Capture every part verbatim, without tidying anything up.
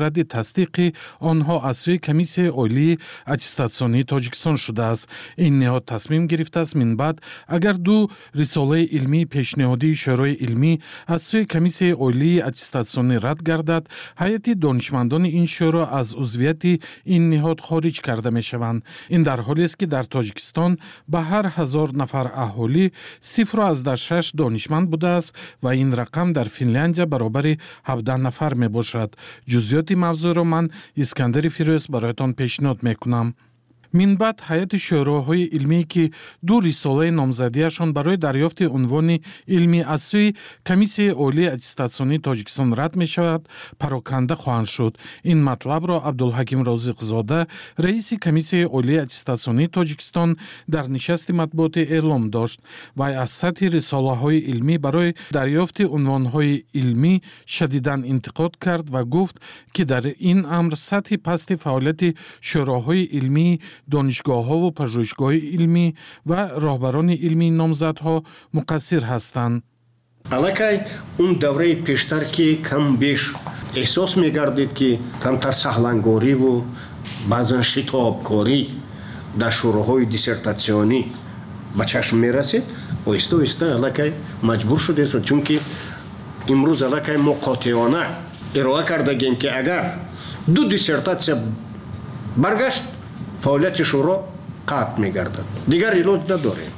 Радди тасдиқи онҳо аз сӯи Комиссияи олии аттестатсионии Тоҷикистон шудааст. Ин ниҳод тасмим гирифтааст, минбаъд агар ду рисолаи илмии пешниҳодии шӯрои илмӣ аз сӯи Комиссияи олии аттестатсионӣ рад гардад, ҳайати донишмандони ин шӯро аз узвияти ин ниҳод хориҷ карда мешаванд. Ин дар ҳолест, ки дар Тоҷикистон ба ҳар ҳазор нафар аҳолӣ сифру аздаҳ шаш донишманд будааст ва ин рақам дар Финляндия баробари ҳабдаҳ нафар мебошад. Ҷузъиёти мавзӯъро ман, Искандари Фирӯз, бароятон пешниҳод мекунам. Минбаъд ҳайати шӯроҳои илмие, ки ду рисолаи номзадиашон барои дарёфти унвони илмӣ аз сӯи Комиссияи олии аттестатсионии Тоҷикистон рад мешавад, пароканда хоҳанд шуд. Ин матлабро Абдулҳаким Розиқзода, раиси Комиссияи олии аттестатсионии Тоҷикистон, дар нишасти матбуотӣ эълом дошт. Вай аз сатҳи рисолаҳои илмӣ барои дарёфти унвонҳои илмӣ шадидан интиқод кард ва гуфт, ки дар ин амр сатҳи пасти фаъолияти шӯроҳои илмии донишгоҳҳову пажӯҳишгоҳҳои илмӣ ва роҳбарони илмии номзадҳо муқассир ҳастанд. Аллакай он давраи пештар, ки кам беш эҳсос мегардид, ки камтар саҳлангориву баъзан шитобкорӣ дар шӯроҳои диссертатсионӣ ба чашм мерасид, оҳиста оҳиста аллакай маҷбур шудем, чунки имрӯз аллакай мо қотеона ироа кардагем, ки агар ду диссертатсия баргашт, фаъолияти шӯро қатъ мегардад, дигар илоҷ надорем.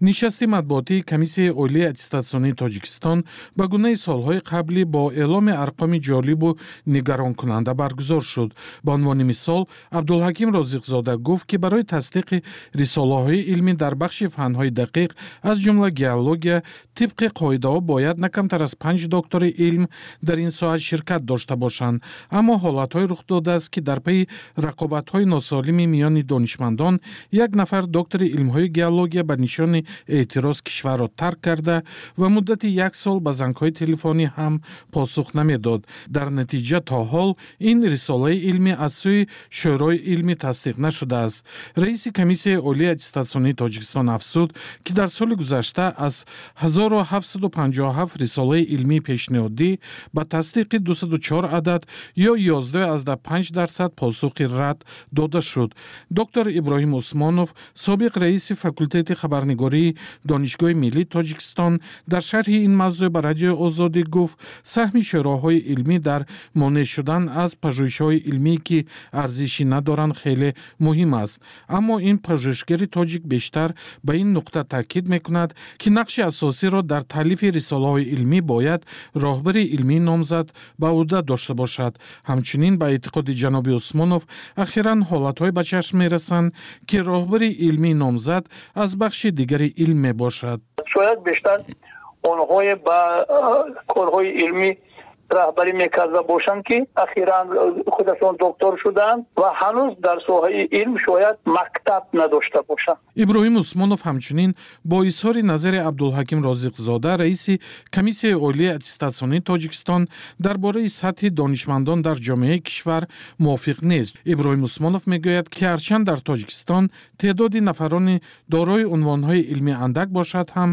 Нишасти матбуотии Комиссияи олии аттестатсионии Тоҷикистон ба гунаи солҳои қаблӣ бо эъломи арқоми ҷолибу нигаронкунанда баргузор шуд. Ба унвони мисол, Абдулҳаким Розиқзода гуфт, ки барои тасдиқи рисолаҳои илмӣ дар бахши фанҳои дақиқ, аз ҷумла геология, тибқи қоидаҳо бояд на камтар аз панҷ доктори илм дар ин соҳа ширкат дошта бошанд. Аммо ҳолатҳое рух додааст, ки дар пайи рақобатҳои носолими миёни донишмандон як нафар доктори илмҳои геология ба нишони эътироз кишварро тарк карда ва муддати як сол ба зангҳои телефонӣ ҳам посух намедод. Дар натиҷа то ҳол ин рисолаи илмӣ аз сӯи шӯрои илмӣ тасдиқ нашудааст. Раиси Комиссияи олии аттестатсионии Тоҷикистон афзуд, ки дар соли гузашта аз ҳазору ҳафтсаду панҷоҳу ҳафт рисолаи илмии пешниҳодӣ ба тасдиқи дусаду чор адад ё ёздаҳ аздаҳ панҷ дарсад посухи рад дода шуд. Доктор Иброҳим Усмонов, собиқ раиси факултети хабарнигории Донишгоҳи миллии Тоҷикистон, дар шарҳи ин мавзӯъ ба Радиои Озодӣ гуфт, саҳми шӯроҳои илмӣ дар монеъ шудан аз пажӯҳишҳои илмие, ки арзишӣ надоранд, хеле муҳим аст. Аммо ин пажӯҳишгари тоҷик бештар ба ин нуқта таъкид мекунад, ки нақши асосиро дар таълифи рисолаҳои илмӣ бояд роҳбари илмии номзад ба ӯҳда дошта бошад. Ҳамчунин, ба эътиқоди ҷаноби Усмонов, ахиран ҳолатҳое ба чашм мерасанд, ки роҳбари илмии номзад аз бахши дигари илм мебошад. Шояд бештар онҳое ба корҳои илмӣ раҳбарӣ мекарда бошанд, ки ахиран худашон доктор шуданд ва ҳанӯз дар соҳаи илм шояд мактаб надошта бошанд. Иброҳим Усмонов ҳамчунин бо изҳори назари Абдулҳаким Розиқзода, раиси Комиссияи олии аттестатсионии Тоҷикистон, дар бораи сатҳи донишмандон дар ҷомеаи кишвар мувофиқ нест. Иброҳим Усмонов мегӯяд, ки ҳарчанд дар Тоҷикистон теъдоди нафарони дорои унвонҳои илмӣ андак бошад ҳам,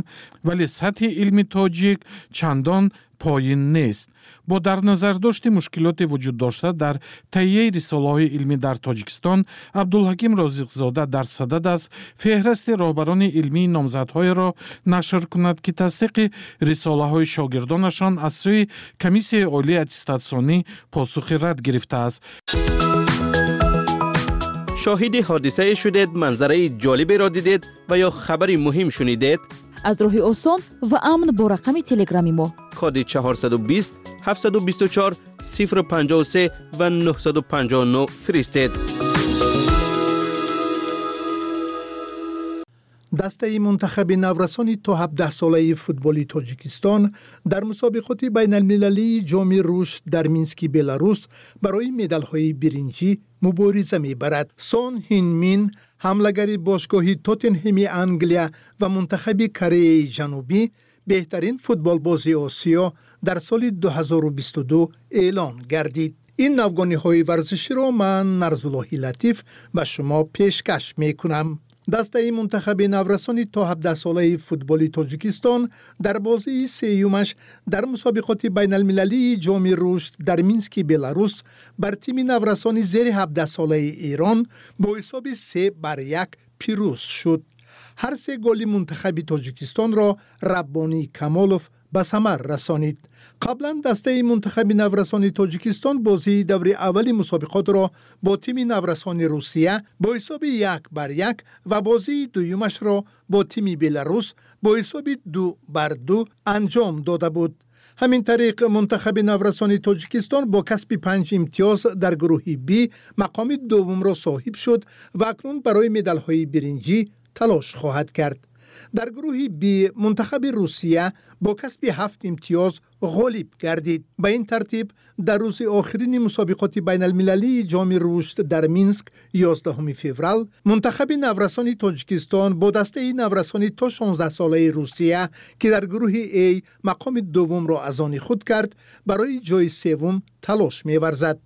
вале сатҳи илми тоҷик чандон поин нест. Бо дар назардошти мушкилоти вуҷуддошта дар таҳияи рисолаҳои илмӣ дар Тоҷикистон, Абдулҳаким Розиқзода дар садад аст феҳрасти роҳбарони илмии номзадҳоеро нашр кунад, ки тасдиқи рисолаҳои шогирдонашон аз сӯи Комиссияи олии аттестатсионӣ посухи рад гирифтааст. Шоҳиди ҳодисае шудед, манзараи ҷолиберо дидед ва ё хабари муҳим шунидед? Аз роҳи осон ва амн бо рақами телеграми мо коди чорсаду бист, ҳафтсаду бисту чор, сифр панҷоҳу се ва нӯҳсаду панҷоҳу нӯҳ фиристед. Дастаи мунтахаби наврасони то ҳабдаҳсолаи футболи Тоҷикистон дар мусобиқоти байналмилалии ҷоми рушд дар Мински Беларус барои медалҳои биринҷӣ мубориза мебарад. Сон Ҳинмин, ҳамлагари бошгоҳи Тоттенҳеми Англия ва мунтахаби Кореяи Ҷанубӣ, беҳтарин футболбози Осиё дар соли дуҳазору бисту ду эълон гардид. Ин навгониҳои варзиширо ман, Нарзуллоҳи Латиф, ба шумо пешкаш мекунам. Дастаи мунтахаби наврасони то ҳабдаҳсолаи футболи Тоҷикистон дар бозии сеюмаш дар мусобиқоти байналмилалии Ҷоми Рушд дар Мински Беларус бар тими наврасони зери ҳабдаҳсолаи Эрон бо ҳисоби се бар як пирӯз шуд. Ҳар се голи мунтахаби Тоҷикистонро Раббонӣ Камолов ба самар расонид. Қаблан дастаи мунтахаби наврасони Тоҷикистон бозии даври аввали мусобиқотро бо тими наврасони Русия бо ҳисоби як бар як ва бозии дуюмашро бо тими Беларус бо ҳисоби ду бар ду анҷом дода буд. Ҳамин тариқ мунтахаби наврасони Тоҷикистон бо касби панҷ имтиёз дар гурӯҳи Б мақоми дуввумро соҳиб шуд ва акнун барои медалҳои биринҷӣ талош хоҳад кард. Дар гурӯҳи Б мунтахаби Русия бо касби ҳафт имтиёз ғолиб гардид. Ба ин тартиб дар рӯзи охирини мусобиқоти байналмилалии Ҷоми Рушд дар Минск ёздаҳуми феврал мунтахаби наврасони Тоҷикистон бо дастаи наврасони то шонздаҳсолаи Русия, ки дар гурӯҳи А мақоми дуввумро аз они худ кард, барои ҷои севум талош меварзад.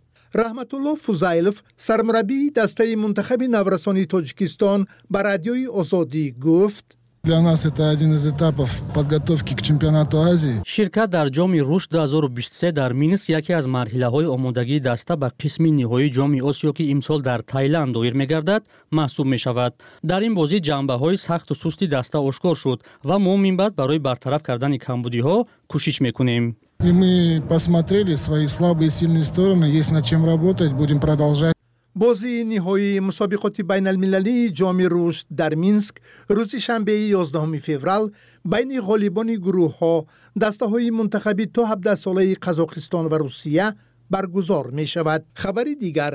Раҳматулло Фузайлов, сармураббии дастаи мунтахаби наврасони Тоҷикистон, ба Радиои Озодӣ гуфт: Для нас это один из этапов подготовки к чемпионату Азии. Ширкат дар Ҷоми Рушд ду ҳазору бисту се дар Минск яке аз марҳилаҳои омодагии даста ба қисми ниҳоии Ҷоми Осиё, ки имсол дар Тайланд доир мегардад, маҳсуб мешавад. Дар ин бозӣ ҷанбаҳои сахту сусти даста ошкор шуд ва мо минбаъд барои бартараф кардани камбудиҳо кӯшиш мекунем. И мы посмотрели свои слабые и сильные стороны, есть над чем работать, будем продолжать. Бозии ниҳоии мусобиқоти байналмилалии Ҷоми Рушд дар Минск рӯзи шанбеи ёздаҳуми феврал байни ғолибони гурӯҳҳо, дастаҳои мунтахаби то ҳабдаҳсолаи Қазоқистон ва Русия баргузор мешавад. Хабари дигар: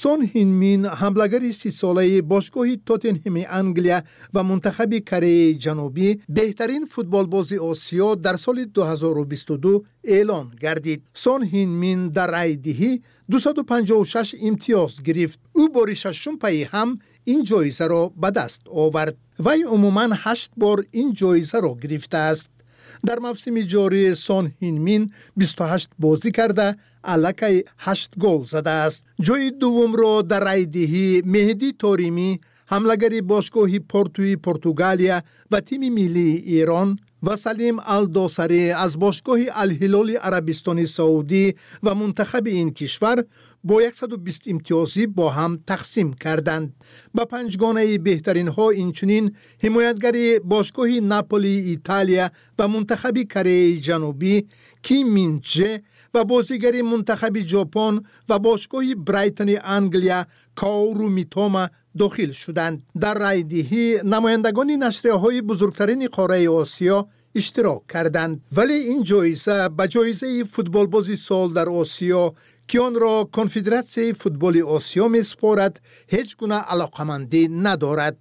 Сон Ҳинмин, ҳамлагари сисолаи бошгоҳи Тоттенҳеми Англия ва мунтахаби Кореяи Ҷанубӣ, беҳтарин футболбози Осиё дар соли ду ҳазору бисту ду эълон гардид. Сон Ҳинмин дар райдиҳӣ дусаду панҷоҳу шаш имтиёз гирифт. Ӯ бори шашум пайи ҳам ин ҷоизаро ба даст овард. Вай умуман ҳашт бор ин ҷоизаро гирифтааст. Дар мавсими ҷорӣ Сон Ҳинмин бисту ҳашт бозӣ карда, аллакай ҳашт гол задааст. Ҷои дуввумро дар райдиҳӣ Меҳдӣ Торимӣ, ҳамлагари бошгоҳи Портуи Португалия ва тими миллии Эрон, ва Салим Алдосарӣ аз бошгоҳи Алҳилоли Арабистони Саудӣ ва мунтахаби ин кишвар бо яксаду бист имтиёзӣ бо ҳам тақсим карданд. Ба панҷгонаи беҳтаринҳо инчунин ҳимоятгари бошгоҳи Наполии Италия ва мунтахаби Кореяи Ҷанубӣ Ким Минчже ва бозигари мунтахаби Ҷопон ва бошгоҳи Брайтони Англия Каору Митома дохил шуданд. Дар райдиҳӣ намояндагони нашрияҳои бузургтарини қораи Осиё иштирок карданд. Вале ин ҷоиза ба ҷоизаи футболбози сол дар Осиё, ки онро Конфедератсияи футболи Осиё месупорад, ҳеҷ гуна алоқамандӣ надорад.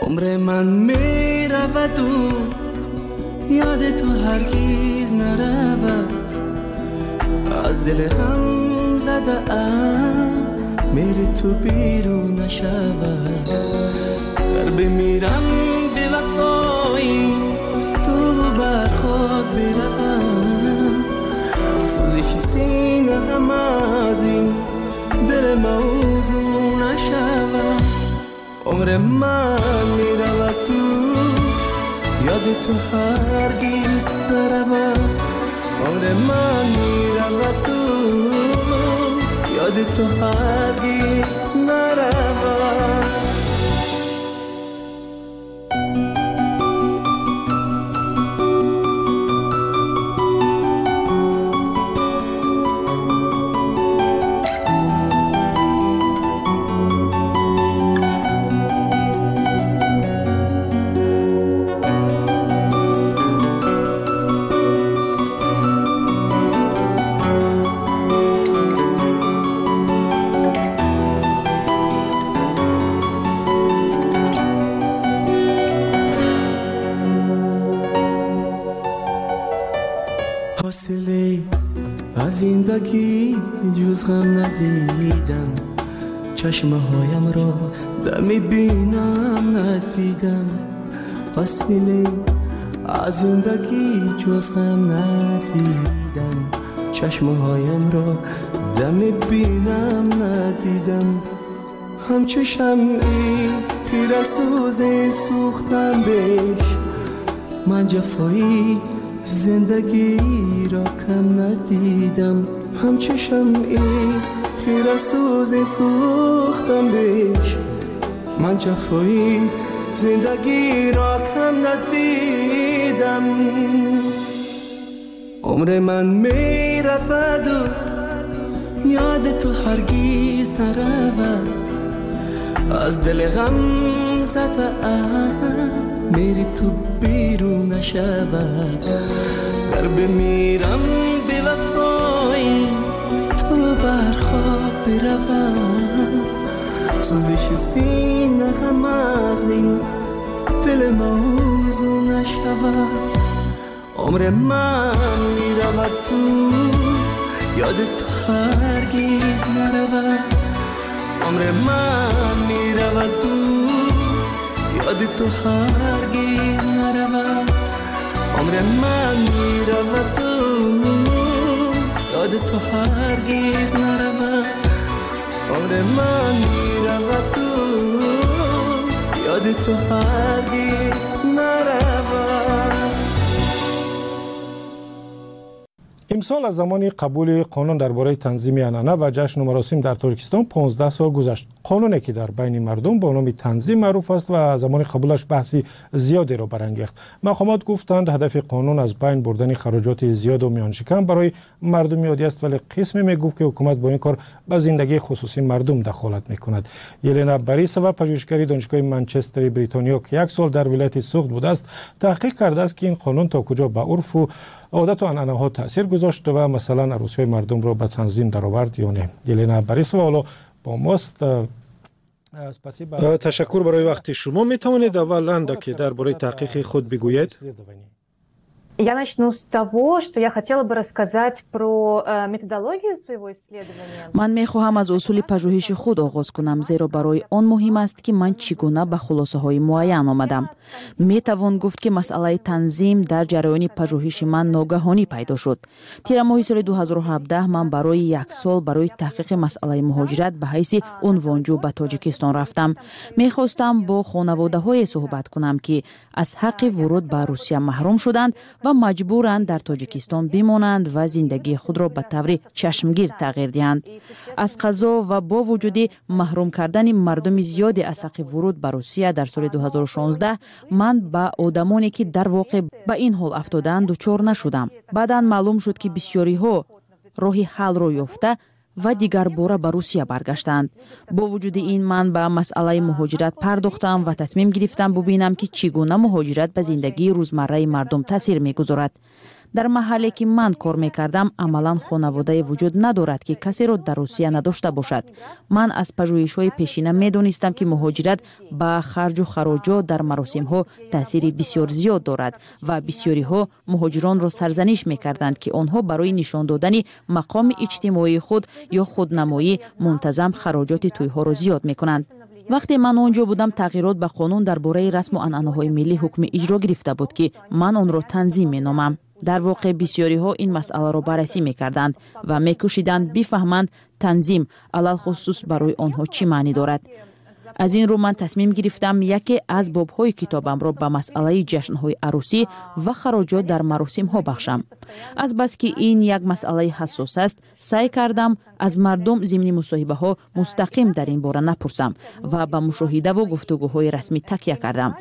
Умри ман меравад ёди ту ҳаргиз наравад, аз дили ғам задаам мери ту берун нашавад. Гар бимирам бевафои ту бар хок биравам, сӯзиши сина ғам аз ин дил мавзун нашавад. Умри ман меравад ту ёди ту ҳаргиз наравад, умри ман меравад ту ёди ту ҳаргиз наравад. Зиндагӣ ҷуз ғам надидам, чашмаҳоямро да мебинам надидам. Ҳосиле از زندگی جز غم ندیدم، چشمهایم را دم بینم ندیدم. همچو شمعی خیره سوز سوختم بش، من جفایی زندگی را کم ندیدم. همچو شمعی خیره سوز سوختم بش، من جفایی زندگی را کم ندیدم. عمر من می رود و یاد تو هرگز نرود، از دل غم زده میری تو بیرون نشود. گر بمیرم بی وفایی تو بر خواب بروم، سوزش سینه غم از این دل موضوع نشود. عمر من میرود تو یاد تو هرگز نرود، عمر من میرود تو یاد تو هرگز نرود، عمر من میرود تو یاد تو هرگز نرود، عمر من میرود تو یاد تو هرگز نرود. امسال از زمان قبول قانون درباره تنظیم عنعنه و جشن و مراسم در تاجیکستان پانزده سال گذشت. قانونی که در بین مردم با نام تنظیم معروف است و زمان قبولش بحثی زیادی را برانگیخت. مقامات گفتند هدف قانون از بین بردن خراجات زیاد و میانشکن برای مردم عادی است، ولی قسمی میگفت که حکومت با این کار به زندگی خصوصی مردم دخالت میکند. یلنا باریسova پژوهشگر دانشگاه منچستر بریتانیا که یک سال در ولایت سغد بوده است، تحقیق کرده است که این قانون تا کجا به عرف و عادت و عنعنه‌ها تاثیر گذاشت و مثلا عروسی‌های مردم را به تنظیم درآورد یا نه. یلنا باریسova حالا با ماست. تشکر برای وقت شما. می توانید اول اندکی درباره تحقیق خود بگویید؟ Я начну с того, что я хотела бы рассказать про методологию своего исследования. Ман мехоҳам аз усули пажӯҳиши худ оғоз кунам, зеро барои он муҳим аст, ки ман чӣ гуна ба хулосаҳои муайян омадам. Метавон гуфт, ки масъалаи танзим дар ҷараёни пажӯҳиши ман ногаҳонӣ пайдо шуд. Тирамоҳи соли ду ҳазору ҳабдаҳ ман барои як сол барои таҳқиқи масъалаи муҳоҷират ба ҳайси унвонҷӯ ба Тоҷикистон рафтам. Мехостам бо хонаводаҳое суҳбат кунам, ки аз ҳаққи вуруд ба Русия маҳрум шуданд ва маҷбуранд дар Тоҷикистон бимонанд ва зиндагии худро ба таври чашмгир тағйир диҳанд. Аз қазо ва бо вуҷуди маҳрум кардани мардуми зиёде аз ҳаққи вуруд ба Русия дар соли ду ҳазору шонздаҳ, ман ба одамоне, ки дар воқеъ ба ин ҳол афтодаанд, дучор нашудам. Баъдан маълум шуд, ки бисёриҳо роҳи ҳалро ёфта ва дигарбора ба Русия баргаштанд. Бо вуҷуди ин ман ба масъалаи муҳоҷират пардохтам ва тасмим гирифтам бубинам, ки чӣ гуна муҳоҷират ба зиндагии рӯзмарраи мардум таъсир мегузорад. Дар маҳалле, ки ман кор мекардам, амалан хонаводае вуҷуд надорад, ки касеро дар Русия надошта бошад. Ман аз пажӯҳишҳои пешина медонистам, ки муҳоҷират ба харҷу хароҷот дар маросимҳо таъсири бисёр зиёд дорад ва бисёриҳо муҳоҷиронро сарзаниш мекарданд, ки онҳо барои нишон додани мақоми иҷтимоии худ ё худнамоӣ мунтазам хароҷоти тӯйҳоро зиёд мекунанд. Вақте ман он ҷо будам, тағйирот ба қонун дар бораи расму анъанаҳои миллӣ ҳукми иҷро гирифта буд, ки ман онро танзим меномам. Дар воқеъ бисёриҳо ин масъаларо баррасӣ мекарданд ва мекӯшиданд бифаҳманд танзим алалхусус барои онҳо чӣ маънӣ дорад. Аз ин рӯ ман тасмим гирифтам яке аз бобҳои китобамро ба масъалаи ҷашнҳои арӯсӣ ва хароҷот дар маросимҳо бахшам. Азбаски ин як масъалаи ҳассос аст, саъй кардам аз мардум зимни мусоҳибаҳо мустақим дар ин бора напурсам ва ба мушоҳидаву гуфтугӯҳои расмӣ такя кардам.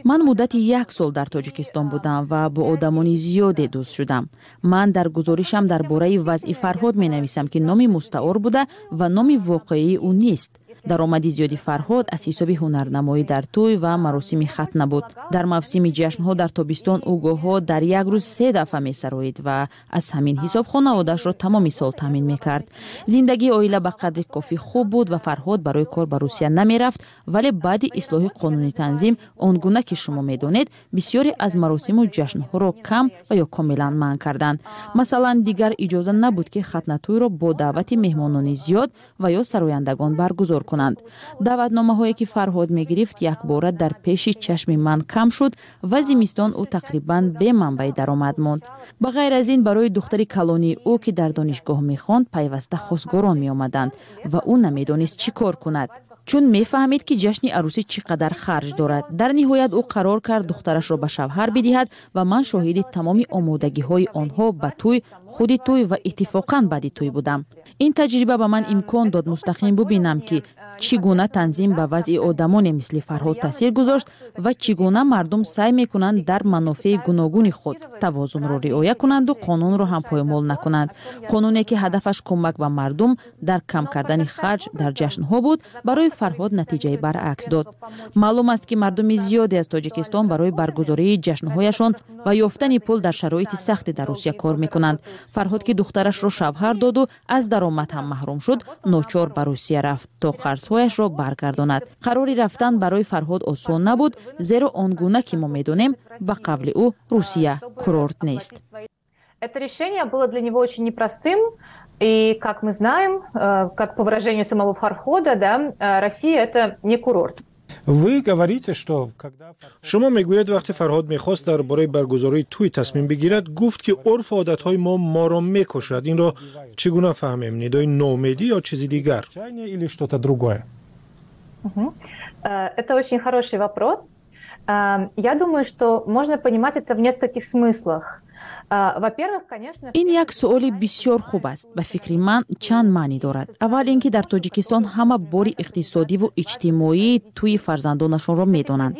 Ман муддати як сол дар Тоҷикистон будам ва бо одамони зиёде дӯст шудам. Ман дар гузоришам дар бораи вазъи Фарҳод менависам, ки номи мустаор буда ва номи воқеии ӯ нест. Даромади зиёди Фарҳод аз ҳисоби ҳунарнамоӣ дар тӯй ва маросими хатна буд. Дар мавсими ҷашнҳо дар тобистон ӯ гоҳҳо дар як рӯз се дафъа месароид ва аз ҳамин ҳисоб хонаводаашро тамоми сол таъмин мекард. Зиндагии оила ба қадри кофӣ хуб буд ва Фарҳод барои кор ба Русия намерафт, вале баъди ислоҳи қонуни танзим, он гуна ки шумо медонед, бисёре аз маросиму ҷашнҳоро кам ва ё комилан манъ карданд. Масалан, дигар иҷоза набуд, ки хатнатӯйро бо даъвати меҳмонони зиёд ва ё сарояндагон баргузор кунанд. кунанд. Даъватномаҳое, ки Фарҳод мегирифт, якбора дар пеши чашми ман кам шуд ва зимистон ӯ тақрибан бе манбаи даромад монд. Ба ғайр аз ин, барои духтари калонии ӯ, ки дар донишгоҳ мехонд, пайваста хостгорон меомаданд ва ӯ намедонист, чӣ кор кунад, чун мефаҳмид, ки ҷашни арӯсӣ чӣ қадар харҷ дорад. Дар ниҳоят ӯ қарор кард духтарашро ба шавҳар бидиҳад ва ман шоҳиди тамоми омодагиҳои онҳо ба тӯй, худи тӯй ва иттифоқан баъди тӯй будам. Ин таҷриба ба ман имкон дод мустақим бубинам, ки чӣ гуна танзим ба вазъи одамоне мисли Фарҳод таъсир гузошт ва чӣ гуна мардум саъй мекунанд дар манофеи гуногуни худ тавозунро риоя кунанду қонунро ҳам поймол накунанд. Қонуне, ки ҳадафаш кӯмак ба мардум дар кам кардани харҷ дар ҷашнҳо буд, барои Фарҳод натиҷаи баръакс дод. Маълум аст, ки мардуми зиёде аз Тоҷикистон барои баргузории ҷашнҳояшон ва ёфтани пул дар шароити сахте дар Русия кор мекунанд. Фарҳод, ки духтарашро шавҳар доду аз даромад ҳам маҳрум шуд, ночор ба Русия рафт, то қарзҳояшро баргардонад. Қарори рафтан барои Фарҳод осон набуд, зеро он гуна ки мо медонем, ба қавли ӯ, Русия курорт нест. Это решение было для него очень непростым. И, как мы знаем, э, как по выражению самого Фархода, да, э, Россия – это не курорт. Вы говорите, что когда Шумо мегӯед, вақте Фарҳод мехост дар бораи баргузории тӯй тасмим бигирад, гуфт, ки урфу одатҳои мо моро мекушад. Инро чӣ гуна фаҳмем: нидои ноумедӣ ё чизи дигар? Или что-то другое? Э, это очень хороший вопрос. Я думаю, что можно понимать это в нескольких смыслах. Ин як суоли бисёр хуб аст. Ба фикри ман, чанд маънӣ дорад. Аввал ин ки дар Тоҷикистон ҳама бори иқтисодиву иҷтимоии тӯи фарзандонашонро медонанд.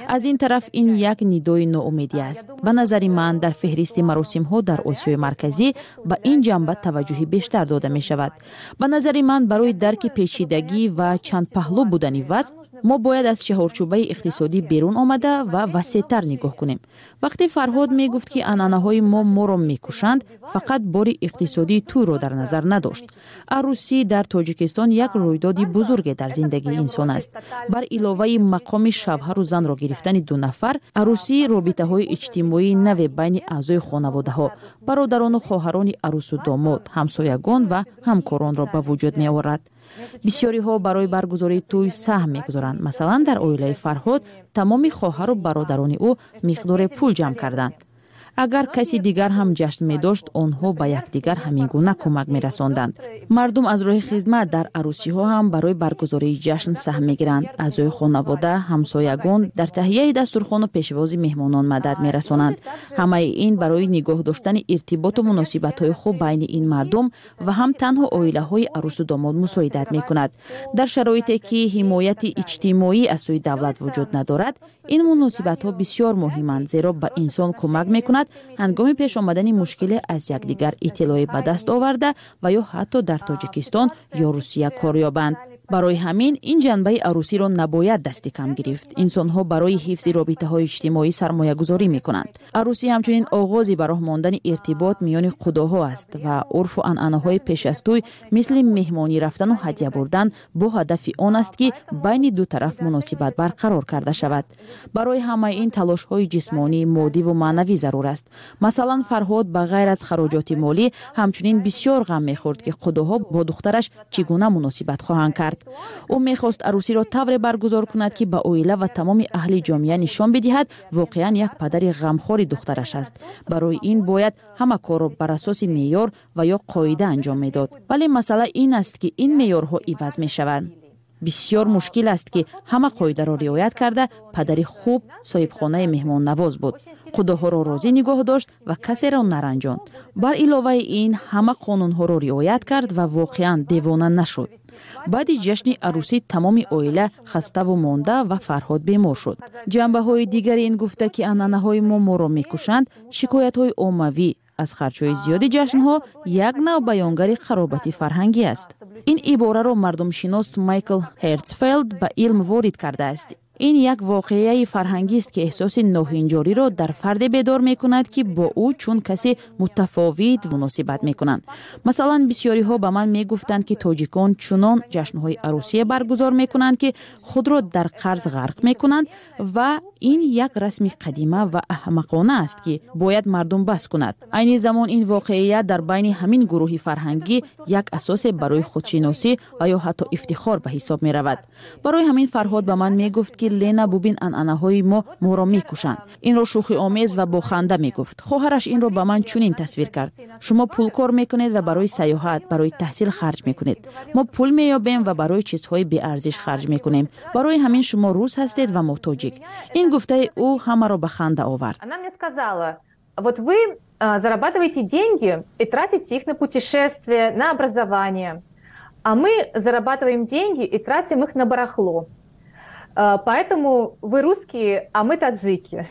Аз ин тараф, ин як нидои ноумедӣ аст. Ба назари ман, дар феҳристи маросимҳо дар Осиёи Марказӣ ба ин ҷанба таваҷҷӯҳи бештар дода мешавад. Ба назари ман, барои дарки печидагӣ ва чандпаҳлӯ будани вазъ мо бояд аз чаҳорчӯбаи иқтисодӣ берун омада ва васеътар нигоҳ кунем. Вақте Фарҳод мегуфт, ки анъанаҳои мо моро мекушанд, фақат бори иқтисодии тӯйро дар назар надошт. Арӯсӣ дар Тоҷикистон як рӯйдоди бузурге дар зиндагии инсон аст. Бар иловаи мақоми шавҳару занро гирифтани ду нафар, арӯсӣ робитаҳои иҷтимоии наве байни аъзои хонаводаҳо, бародарону хоҳарони арӯсу домод, ҳамсоягон ва ҳамкоронро ба вуҷуд меорад. Бисёриҳо барои баргузории тӯй саҳм мегузоранд. Масалан, дар оилаи Фарҳод тамоми хоҳару бародарони ӯ миқдоре пул ҷамъ карданд. Агар каси дигар ҳам ҷашн медошт, онҳо ба якдигар ҳамин гуна кӯмак мерасонданд. Мардум аз роҳи хизмат дар арӯсиҳо ҳам барои баргузории ҷашн саҳм мегиранд. Аъзои хонавода, ҳамсоягон дар таҳияи дастурхону пешвози меҳмонон мадад мерасонанд. Ҳамаи ин барои нигоҳ доштани иртиботу муносибатҳои хуб байни ин мардум ва ҳам танҳо оилаҳои арӯсу домод мусоидат мекунад. Дар шароите ки ҳимояти иҷтимоӣ аз сӯи давлат вуҷуд надорад, ин муносибатҳо бисёр муҳиманд, зеро ба инсон кӯмак мекунад ҳангоми пеш омадани мушкиле аз якдигар иттилоъе ба даст оварда ва ё ҳатто дар Тоҷикистон ё Русия кор ёбанд. Барои ҳамин ин ҷанбаи арӯсиро набояд дасти кам гирифт. Инсонҳо барои ҳифзи робитаҳои иҷтимоӣ сармоягузорӣ мекунанд. Арӯсӣ ҳамчунин оғози ба роҳ мондани иртибот миёни қудоҳо аст ва урфу анъанаҳои пеш аз тӯй, мисли меҳмонӣ рафтану ҳадя бурдан, бо ҳадафи он аст, ки байни ду тараф муносибат барқарор карда шавад. Барои ҳамаи ин талошҳои ҷисмонӣ, моддиву маънавӣ зарур аст. Масалан, Фарҳод ба ғайр аз хароҷоти молӣ ҳамчунин бисёр ғам мехӯрд, ки қудоҳо бо духтараш чӣ гуна муносибат хоҳанд кард. Ӯ мехост арӯсиро тавре баргузор кунад, ки ба оила ва тамоми аҳли ҷомеа нишон бидиҳад, воқеан як падари ғамхори духтараш аст. Барои ин бояд ҳама корро бар асоси меъёр ва ё қоида анҷом медод. Вале масъала ин аст, ки ин меъёрҳо иваз мешаванд. Бисёр мушкил аст, ки ҳама қоидаро риоят карда падари хуб, соҳибхонаи меҳмоннавоз буд, қудоҳоро розӣ нигоҳ дошт ва касеро наранҷонд. Бар иловаи ин, ҳама қонунҳоро риоят кард ва воқеан девона нашуд. Баъди ҷашни арӯсӣ тамоми оила хаставу монда ва Фарҳод бемор шуд. Ҷанбаҳои дигари ин гуфта, ки анъанаҳои мо моро мекушанд, шикоятҳои оммавӣ аз харҷҳои зиёди ҷашнҳо як нав баёнгари қаробати фарҳангӣ аст. Ин ибораро мардумшинос Майкл Ҳертсфелд ба илм ворид кардааст. Ин як воқеаи фарҳангист, ки эҳсоси ноҳинҷориро дар фарде бедор мекунад, ки бо ӯ чун касе мутафовит муносибат мекунанд. Масалан, бисёриҳо ба ман мегуфтанд, ки тоҷикон чунон ҷашнҳои арӯсие баргузор мекунанд, ки худро дар қарз ғарқ мекунанд ва ин як расми қадима ва аҳмақона аст, ки бояд мардум бас кунад. Айни замон ин воқеият дар байни ҳамин гурӯҳи фарҳангӣ як асосе барои худшиносӣ ва ё ҳатто ифтихор ба ҳисоб меравад. Барои ҳамин Фарҳод ба ман мегуфт, ки Лена, бубин, анъанаҳои мо моро мекушанд. Инро шӯхиомез ва бо ханда мегуфт. Хоҳараш инро ба ман чунин тасвир кард: шумо пул кор мекунед ва барои сайёҳат, барои таҳсил харҷ мекунед. Мо пул меёбем ва барои чизҳои беарзиш харҷ мекунем. Барои ҳамин шумо рус ҳастед ва мо тоҷик. Ин гуфтаи ӯ ҳамаро ба ханда овард. Она мне сказала: вот вы зарабатываете деньги и тратите их на путешествия, на образование, а мы зарабатываем деньги и тратим их на барахло. Поэтому вы русские, а мы таджики.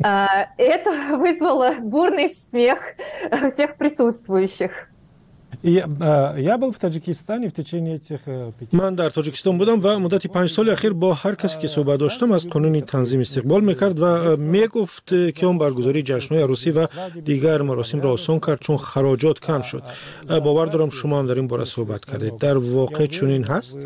Это вызвало бурный смех всех присутствующих. Я был в Таджикистане в течение этих пяти. Ман дар Тоҷикистон будам ва муддати панҷ соли ахир бо ҳар касе ки суҳбат доштам, аз қонуни танзим истиқбол мекард ва мегуфт, ки он баргузории ҷашнҳои арӯсӣ ва дигар маросимро осон кард, чун хароҷот кам шуд. Бовар дорам, шумо ҳам дар ин бора суҳбат кардед. Дар воқеъ чунин ҳаст?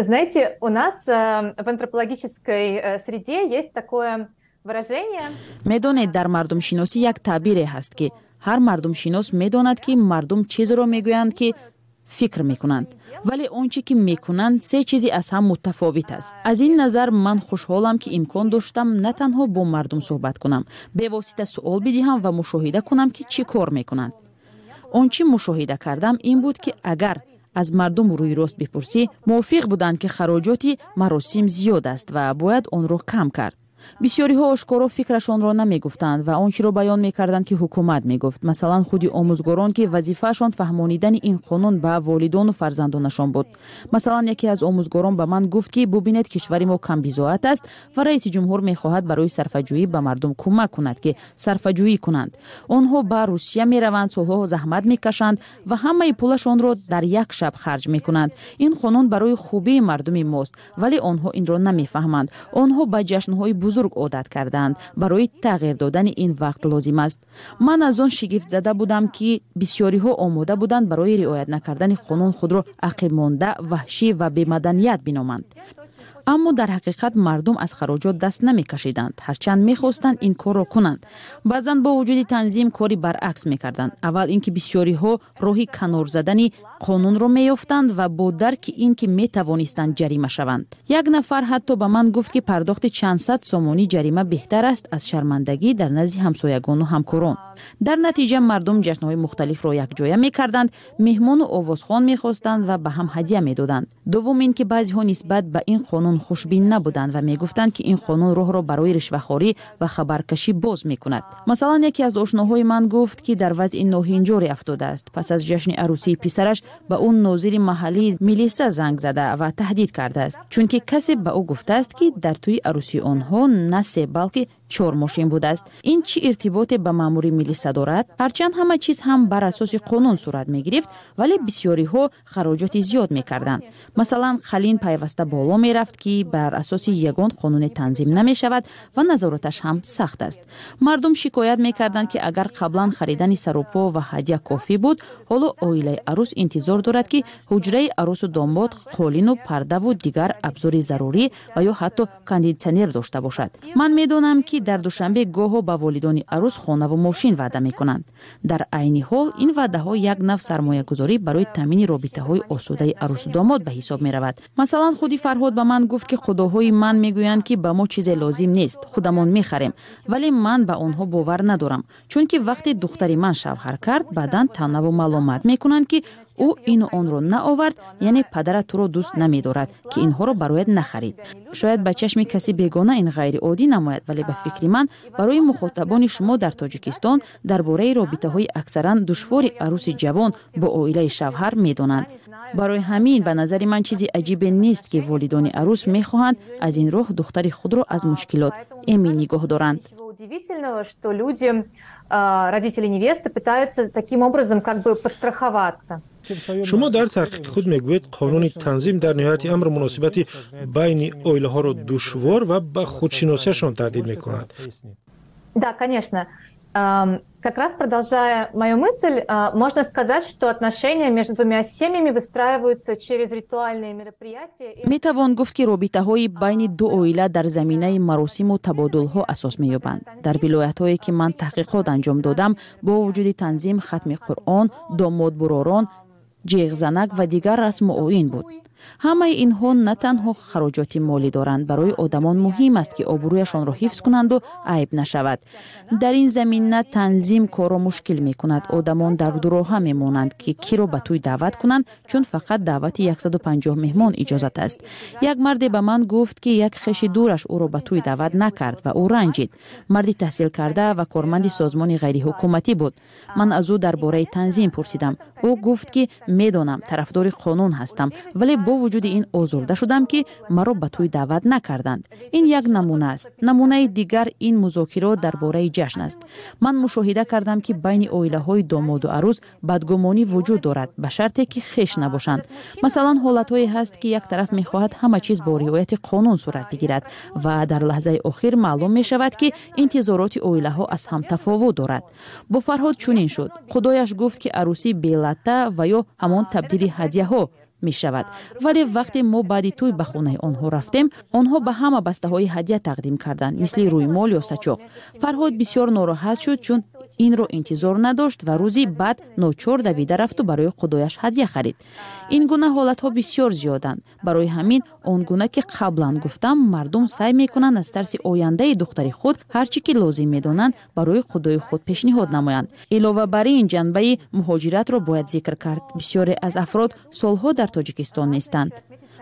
Знаете, у нас в антропологической среде есть такое выражение. Медонед, дар мардумшиносӣ як таъбире ҳаст, ки ҳар мардумшинос медонад, ки мардум чизеро мегӯянд, ки фикр мекунанд, вале он чӣ ки мекунанд, се чизи аз ҳам мутафовит аст. Аз ин назар ман хушҳолам, ки имкон доштам на танҳо бо мардум суҳбат кунам, бевосита суол бидиҳам ва мушоҳида кунам, ки чӣ кор мекунанд. Он чӣ мушоҳида кардам ин буд, ки агар аз мардум рӯйрост бипурсӣ, мувофиқ буданд, ки хароҷоти маросим зиёд аст ва бояд онро кам кард. Бисёриҳо ошкоро фикрашонро намегуфтанд ва он чиро баён мекарданд, ки ҳукумат мегуфт. Масалан, худи омӯзгорон, ки вазифаашон фаҳмонидани ин қонун ба волидону фарзандонашон буд. Масалан, яке аз омӯзгорон ба ман гуфт, ки бубинед, кишвари мо камбизоат аст ва раиси ҷумҳур мехоҳад барои сарфаҷӯӣ ба мардум кӯмак кунад, ки сарфаҷӯӣ кунанд. Онҳо ба Русия мераванд, солҳо заҳмат мекашанд ва ҳамаи пулашонро дар як шаб харҷ мекунанд. Ин қонун барои хубии мардуми мост, вале онҳо инро намефаҳманд. Онҳо ба ҷашнҳои бузург одат карданд. Барои тағйир додани ин вақт лозим аст. Ман аз он шигифтзада будам, ки бисёриҳо омода буданд барои риоят накардани қонун худро ақибмонда, ваҳшӣ ва бемаданият биноманд. Аммо дар ҳақиқат мардум аз хароҷот даст намекашиданд, ҳарчанд мехостанд ин корро кунанд. Баъзан бо вуҷуди танзим кори баръакс мекарданд. Аввал ин ки бисёриҳо роҳи канор задани қонунро меёфтанд ва бо дарки ин ки метавонистанд ҷарима шаванд. Як нафар ҳатто ба ман гуфт, ки пардохти чанд сад сомонӣ ҷарима беҳтар аст аз шармандагӣ дар назди ҳамсоягону ҳамкорон. Дар натиҷа мардум ҷашнҳои мухталифро якҷоя мекарданд, меҳмону овозхон мехостанд ва ба ҳам ҳадя медоданд. Дуввум ин ки баъзеҳо нисбат ба ин қонун хушбин набуданд ва мегуфтанд, ки ин қонун роҳро барои ришвахорӣ ва хабаркашӣ боз мекунад. Масалан, яке аз ошноҳои ман гуфт, ки дар вазъи ноҳинҷоре афтодааст. Пас аз ҷашни арӯсии писараш ба ӯ нозири маҳаллии милиса занг зада ва таҳдид кардааст, чунки касе ба ӯ гуфтааст, ки дар тӯи арӯсии онҳо на се, балки чор мошин будааст. Ин чӣ иртиботе ба маъмури милиса дорад? Ҳарчанд ҳама чиз ҳам бар асоси қонун сурат мегирифт, вале бисёриҳо хароҷоти зиёд мекарданд. Масалан, қалин пайваста боло мерафт, ки бар асоси ягон қонуне танзим намешавад ва назораташ ҳам сахт аст. Мардум шикоят мекарданд, ки агар қаблан харидани сарупо ва ҳадя кофӣ буд, ҳоло оилаи арӯс интизор дорад, ки ҳуҷраи арӯсу домод қолину пардаву дигар абзори зарурӣ ва ё ҳатто кондитсионер дошта бошад. Ман медонам, ки дар Душанбе гоҳо ба волидони арӯс хонаву мошин ваъда мекунанд. Дар айни ҳол ин ваъдаҳо як нав сармоягузорӣ барои таъмини робитаҳои осудаи арӯсу домод ба ҳисоб меравад. Масалан, худи Фарҳод ба ман гуфт, ки худоҳои ман мегӯянд, ки ба мо чизе лозим нест, худамон мехарем, вале ман ба онҳо бовар надорам, чунки вақте духтари ман шавҳар кард, баъдан танаву маломат мекунанд, ки ӯ ину онро наовард, яъне падарат туро дӯст намедорад, ки инҳоро барояд нахарид. Шояд ба чашми каси бегона ин ғайриоддӣ намояд, вале ба фикри ман барои мухотабони шумо дар Тоҷикистон дар бораи робитаҳои аксаран душвори арӯси ҷавон бо оилаи шавҳар медонанд. Барои ҳамин ба назари ман чизи аҷибе нест, ки волидони арӯс мехоҳанд аз ин роҳ духтари худро аз мушкилот эмин нигоҳ доранд. Удивительного, что люди, родители невесты, пытаются таким образом как бы подстраховаться. Шумо дар таҳқиқи худ мегӯед, қонуни танзим дар ниҳояти амр муносибати байни оилаҳоро душвор ва ба худшиносиашон таҳдид мекунад. Да, конечно. Как раз продолжая мою мысль, можно сказать, что отношения между двумя семьями выстраиваются через ритуальные мероприятия. Метавон гуфт, ки робитаҳои байни ду оила дар заминаи маросиму табодулҳо асос меёбанд. Дар вилоятҳое, ки ман таҳқиқот анҷом додам, бо вуҷуди танзим, хатми Қуръон, домодбуророн, ҷеғзанак ва дигар расму оин буд. Ҳамаи инҳо на танҳо хароҷоти молӣ доранд. Барои одамон муҳим аст, ки обрӯяшонро ҳифз кунанду айб нашавад. Дар ин замина танзим корро мушкил мекунад. Одамон дар дуроҳа мемонанд, ки киро ба тӯй даъват кунанд, чун фақат даъвати яксаду панҷоҳ меҳмон иҷозат аст. Як марде ба ман гуфт, ки як хеши дураш ӯро ба тӯй даъват накард ва ӯ ранҷид. Марди таҳсилкарда ва корманди созмони ғайриҳукуматӣ буд. Ман аз ӯ дар бораи танзим пурсидам. Ӯ гуфт, ки медонам, тарафдори қонун ҳастам, вале бо вуҷуди ин озурда шудам, ки маро ба тӯй даъват накарданд. Ин як намуна аст. Намунаи дигар ин музокирот дар бораи ҷашн аст. Ман мушоҳида кардам, ки байни оилаҳои домоду арӯз бадгумонӣ вуҷуд дорад, ба шарте ки хеш набошанд. Масалан, ҳолатҳое ҳаст, ки як тараф мехоҳад ҳама чиз бо риояти қонун сурат бигирад ва дар лаҳзаи охир маълум мешавад, ки интизороти оилаҳо аз ҳам тафовут дорад. Бо Фарҳод чунин шуд. Худояш гуфт, ки арӯсӣ белатта ва ё ҳамон табдили ҳадяҳо мешавад, вале вақте мо баъди тӯй ба хонаи онҳо рафтем, онҳо ба ҳама бастаҳои ҳадя тақдим карданд, мисли рӯймол ё сачоқ. Фарҳод бисёр нороҳат шуд, чун инро интизор надошт ва рӯзи баъд ночор давида рафту барои худояш ҳадя харид. Ин гуна ҳолатҳо бисёр зиёданд. Барои ҳамин, он гуна ки қаблан гуфтам, мардум саъй мекунанд аз тарси ояндаи духтари худ ҳар чӣ ки лозим медонанд, барои худои худ пешниҳод намоянд. Илова бар ин, ҷанбаи муҳоҷиратро бояд зикр кард. Бисёре аз афрод солҳо дар Тоҷикистон нестанд.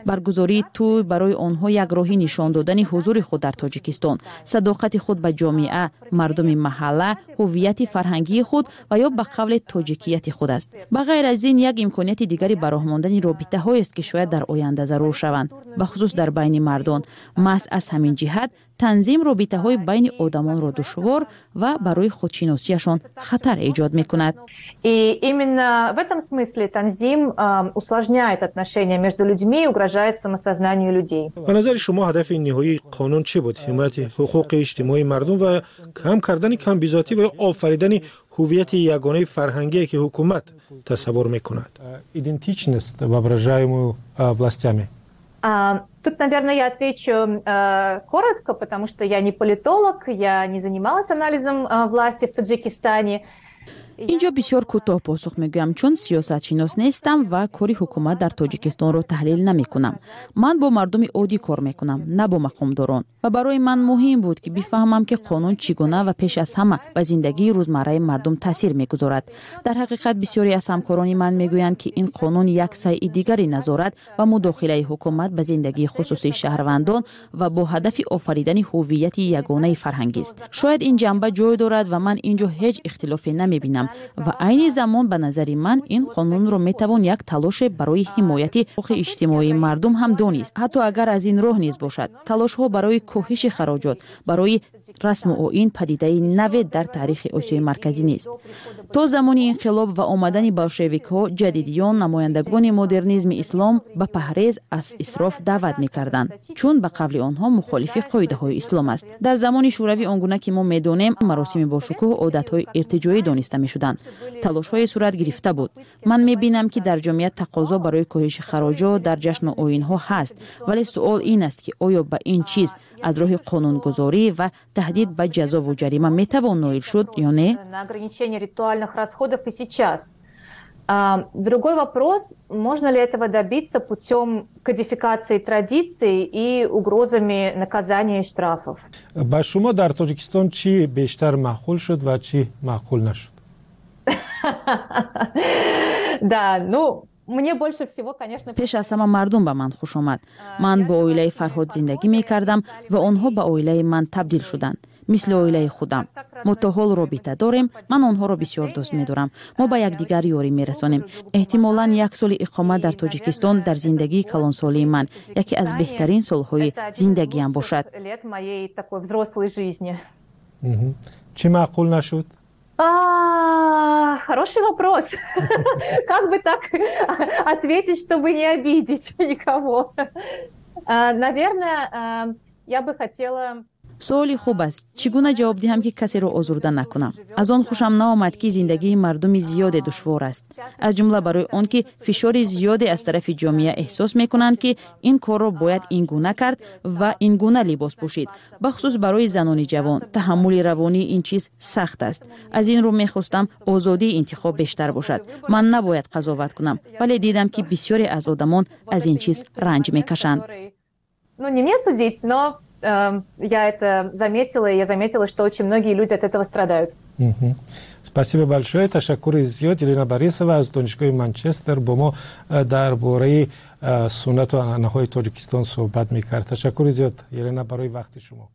Баргузории тӯй барои онҳо як роҳи нишон додани ҳузури худ дар Тоҷикистон, садоқати худ ба ҷомеа, мардуми маҳалла, ҳуввияти фарҳангии худ ва ё ба қавле тоҷикияти худ аст. Ба ғайр аз ин, як имконияти дигари ба роҳ мондани робитаҳоест, ки шояд дар оянда зарур шаванд, бахусус дар байни мардон. Маҳз аз ҳамин ҷиҳат танзим робитаҳои байни одамонро душвор ва барои худшиносиашон хатар эҷод мекунад. И именно в этом смысле танзим усложняет отношения между людьми и угрожает самосознанию людей. Ба назари шумо, ҳадафи ниҳоии қонун чӣ буд? Ҳимояти ҳуқуқи иҷтимоии мардум ва кам кардани камбизоатӣ ва офаридани ҳуввияти ягонаи фарҳангие, ки ҳукумат тасаввур мекунад? Идентичность, воображаемую властями. Тут, наверное, я отвечу э, коротко, потому что я не политолог, я не занималась анализом э, власти в Таджикистане. Инҷо бисёр кӯтоҳ посух мегӯям, чун сиёсатшинос нестам ва кори ҳукумат дар Тоҷикистонро таҳлил намекунам. Ман бо мардуми оддӣ кор мекунам, на бо мақомдорон, ва барои ман муҳим буд, ки бифаҳмам, ки қонун чӣ гуна ва пеш аз ҳама ба зиндагии рӯзмарраи мардум таъсир мегузорад. Дар ҳақиқат, бисёре аз ҳамкорони ман мегӯянд, ки ин қонун як сайъи дигари назорат ва мудохилаи ҳукумат ба зиндагии хусусии шаҳрвандон ва бо ҳадафи офаридани ҳуввияти ягонаи фарҳангист. Шояд ин ҷанба ҷой дорад ва ман ин ҷо ҳеҷ ихтилофе намебинам. Ва айни замон, ба назари ман, ин қонунро метавон як талоше барои ҳимояти ҳуқуқи иҷтимоии мардум ҳам донист, ҳатто агар аз ин роҳ низ бошад. Талошҳо барои коҳиши хароҷот барои расму оин падидаи наве дар таърихи Осиёи Марказӣ нест. То замони инқилоб ва омадани болшевикҳо, ҷадидиён, намояндагони модернизми ислом ба паҳрез аз исроф даъват мекарданд, чун ба қавли онҳо мухолифи қоидаҳои ислом аст. Дар замони Шӯравӣ, он гуна ки мо медонем, маросими бошукӯҳ одатҳои иртиҷоӣ дониста мешуданд. Талошҳое сурат гирифта буд. Ман мебинам, ки дар ҷомеа тақозо барои коҳиши хароҷот дар ҷашну оинҳо ҳаст, вале суол ин аст, ки оё ба ин чиз аз роҳи қонунгузорӣ ва таҳдид ба ҷазову ҷарима метавон ноил шуд ё не. На ограничение ритуальных расходов и сейчас. Другой вопрос, можно ли этого добиться путем кодификации традиций и угрозами наказания и штрафов. Ба шумо дар Тоҷикистон чӣ бештар маъқул шуд ва чӣ маъқул нашуд? Да, ну, мне больше всего, конечно. Пеш аз ҳама мардум ба ман хуш омад. Ман бо оилаи Фарҳод зиндагӣ мекардам ва онҳо ба оилаи ман табдил шуданд, мисли оилаи худам. Мо то ҳол робита дорем. Ман онҳоро бисёр дӯст медорам. Мо ба якдигар ёрӣ мерасонем. Эҳтимолан, як соли иқомат дар Тоҷикистон дар зиндагии калонсолии ман яке аз беҳтарин солҳои зиндагиам бошад. Лет моей такой взрослой жизни. Чӣ маъқул нашуд? А, хороший вопрос. Как бы так ответить, чтобы не обидеть никого? Наверное, я бы хотела. Суоли хуб аст. Чӣ гуна ҷавоб диҳам, ки касеро озурда накунам? Аз он хушам наомад, ки зиндагии мардуми зиёде душвор аст, аз ҷумла барои он ки фишори зиёде аз тарафи ҷомеа эҳсос мекунанд, ки ин корро бояд ин гуна кард ва ин гуна либос пӯшид. Бахусус барои занони ҷавон таҳаммули равонии ин чиз сахт аст. Аз ин рӯ мехостам озодии интихоб бештар бошад. Ман набояд қазоват кунам, вале дидам, ки бисёре аз одамон аз ин чиз ранҷ мекашанд. Ну, не мне судить, но Эм, я это заметила, и я заметила, что очень многие люди от этого страдают. Спасибо большое. Ташаккури зиёд. Елена Борисова аз Донишгоҳи Манчестер бо мо э, дар бораи э, суннату анъанаҳои Тоҷикистон суҳбат мекард. Ташаккури зиёд, Елена, барои вақти шумо.